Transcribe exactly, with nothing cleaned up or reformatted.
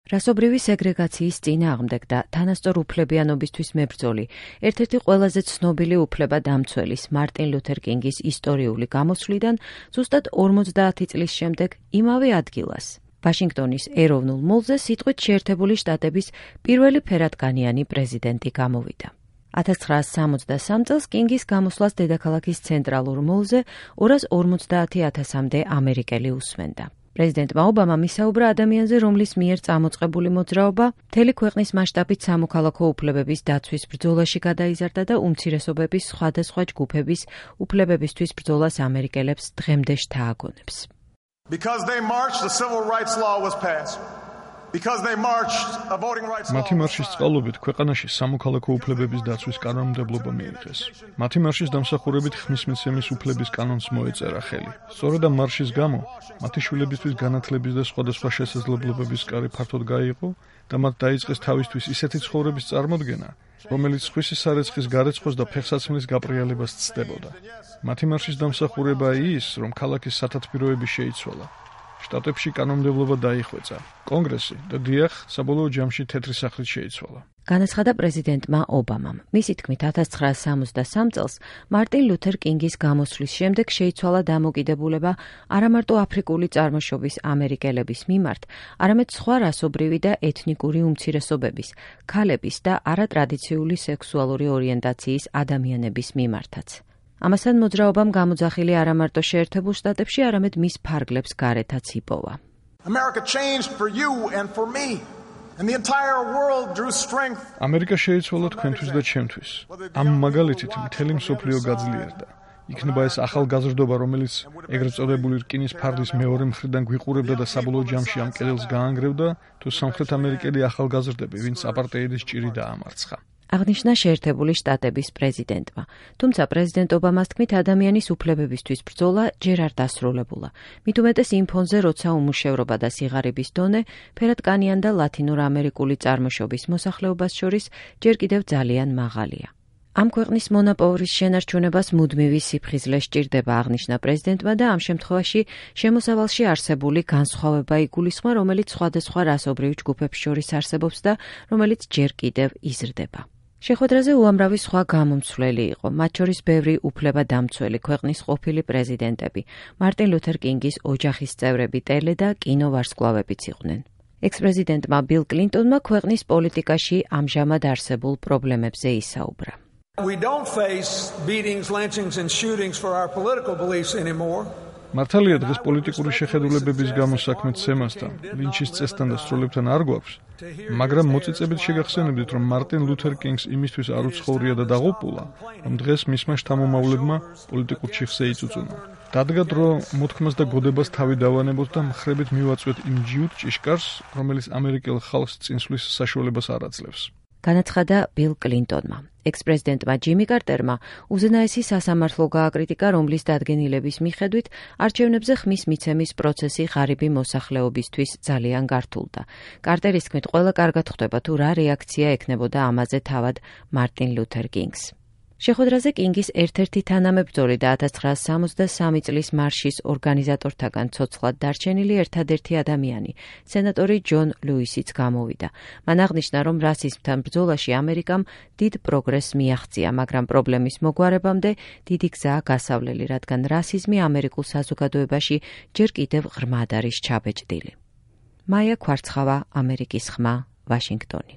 რასობრივი სეგრეგაციის წინააღმდეგ და თანასწორ უფლებიანობისთვის მებრძოლი, ერთ-ერთი ყველაზე ცნობილი უფლებადამცველის მარტინ ლუთერ კინგის ისტორიული გამოსვლიდან ზუსტად ორმოცდაათი წლის შემდეგ იმავე ადგილას, ვაშინგტონის ეროვნულ მოლზე სიტყვით შეერთებული შტატების პირველი ფერადკანიანი პრეზიდენტი გამოვიდა. ათას ცხრაასი სამოცდასამ წელს კინგის გამოსვლას დედაქალაქის ცენტრალურ მოლზე ორას ორმოცდაათი ათასამდე ამერიკელი უსმენდა. პრეზიდენტმა ობამამ ისაუბრა ადამიანზე, რომლის მიერ წამოწყებული მოძრაობა მთელი ქვეყნის მასშტაბით სამოქალაქო უფლებების დაცვის ბრძოლაში გადაიზარდა და უმცირესობების სხვადასხვა ჯგუფების უფლებებისთვის ბრძოლას ამერიკელებს დღემდე შთააგონებს. Because they marched, the civil rights law was passed. Because they marched, a voting rights law. მათი მარშის წყალობით ქვეყანაში სამოქალაქო უფლებების დაცვის კანონმდებლობა მიიღეს. მათი მარშის დამსახურებით ხმის მიცემის უფლების კანონს მოეწერა ხელი. სწორედ ამ მარშის გამო მათი შვილებისთვის განათლების და სხვადასხვა შესაძლებლობების კარი ფართოდ გაიყო და მათ დაიწყეს თავისთვის ისეთი ცხოვრების წარმოდგენა, რომელიც სხვისი სარეცხის გარეცხოს და ფეხსაცმლის გაპრიალებას ცდებოდა. მათი მარშის დამსახურებაა ის, რომ ქალაქის სათათბიროები შეიცვალა. შტატებში კანონმდებლობა დაიხვეწა. კონგრესი და დიახ, საბოლოო ჯამში თეთრი სახლით შეიცვალა. განაცხადა პრეზიდენტმა ობამამ. მისი თქმით, ათას ცხრაასი სამოცდასამ წელს მარტინ ლუთერ კინგის გამოსვლის შემდეგ შეიცვალა დამოკიდებულება არამარტო აფრიკული წარმოშობის ამერიკელების მიმართ, არამედ სხვა რასობრივი და ეთნიკური უმცირესობების, ქალების და არატრადიციული სექსუალური ორიენტაციის ადამიანების მიმართაც. ამასთან მოძრაობამ გამოძახილი არამარტო შეერთებულ შტატებში, არამედ მის ფარგლებს გარეთაც იპოვა. America changed for you and for me. And the entire world drew strength. ამერიკა შეიცვალა თქვენთვის და ჩემთვის. ამ მაგალითით მთელი მსოფლიო გაძლიერდა. იქნება ეს ახალგაზრდობა, რომელიც ეგრეთ წოდებული რკინის ფარდის მეორე მხრიდან გვიყურებდა და საბოლოო ჯამში ამ კედელს გაანგრევდა, თუ სამხრეთ ამერიკელი ახალგაზრდები, ვინც აპარტეიდის ჭირი დაამარცხა. აღნიშნა შეერთებული შტატების პრეზიდენტმა. თუმცა პრეზიდენტ ობამას თქმით, ადამიანის უფლებებისთვის ბრძოლა ჯერ არ დასრულებულა. მით უმეტეს იმ ფონზე, როცა უმუშევრობა და სიღარიბის დონე ფერადკანიან და ლათინურ ამერიკული წარმოშობის მოსახლეობას შორის ჯერ კიდევ ძალიან მაღალია. ამ ქვეყნის მონოპოლის შენარჩუნებას მუდმივი სიფხიზლე სჭირდება, აღნიშნა პრეზიდენტმა და ამ შემთხვევაში შემოსავალში არსებული განსხვავება იგულისხმა, რომელიც სხვადასხვა რასობრივ ჯგუფებს შორის არსებობს და რომელიც ჯერ კიდევ იზრდება. შეხვედრაზე უამრავი სხვა გამომცვლელი იყო, მათ შორის ბევრი უფლებადამცველი ქვეყნის ყოფილი პრეზიდენტები, მარტინ ლუთერ კინგის ოჯახის წევრები, ტელე და კინოვარსკვლავებიც იყვნენ. ექს-პრეზიდენტმა ბილ კლინტონმა ქვეყნის პოლიტიკაში ამჟამად არსებულ პრობლემებზე ისაუბრა. We don't face beatings, lynchings and shootings for our political beliefs anymore. მართალია დღეს პოლიტიკური შეხედულებების გამო საქმე ცემასთან, ლინჩის წესთან და სროლებთან არ გვაქვს, მაგრამ მოწიწებით შეგახსენებდით, რომ მარტინ ლუთერ კინგს იმისთვის არ უცხოვრია და დაღუპულა, რომ დღეს მისმა შთამომავლებმა პოლიტიკურ ჩიხზე იწუწუნა. დადგა დრო მოთქმას და გოდებას თავი დავანებოთ და მხრებით მივაწვეთ იმ ჯიუტ ჭიშკარს, რომელიც ამერიკელ ხალხს წინსვლის საშუალებას არ აძლევს. განაცხადა ბილ კლინტონმა. ექს-პრეზიდენტმა ჯიმი კარტერმა უზენაესი სასამართლო გააკრიტიკა, რომლის დადგენილების მიხედვით არჩევნებზე ხმის მიცემის პროცესი ღარიბი მოსახლეობისთვის ძალიან გართულდა. კარტერის თქმით, ყველა კარგად ხვდება თუ რა რეაქცია ექნებოდა ამაზე თავად მარტინ ლუთერ კინგს. შეხვედრაზე კინგის ერთ-ერთი თანამებრძოლი და ათას ცხრაასი სამოცდასამი წლის მარშის ორგანიზატორთაგან ცოცხლად დარჩენილი ერთადერთი ადამიანი, სენატორი ჯონ ლუისიც გამოვიდა. მან აღნიშნა, რომ რასიზმთან ბრძოლაში ამერიკამ დიდ პროგრესს მიაღწია, მაგრამ პრობლემის მოგვარებამდე დიდი გზაა გასავლელი, რადგან რასიზმი ამერიკულ საზოგადოებაში ჯერ კიდევ ღრმად არის ჩაბეჭდილი. მაია ქვარცხავა, ამერიკის ხმა, ვაშინგტონი.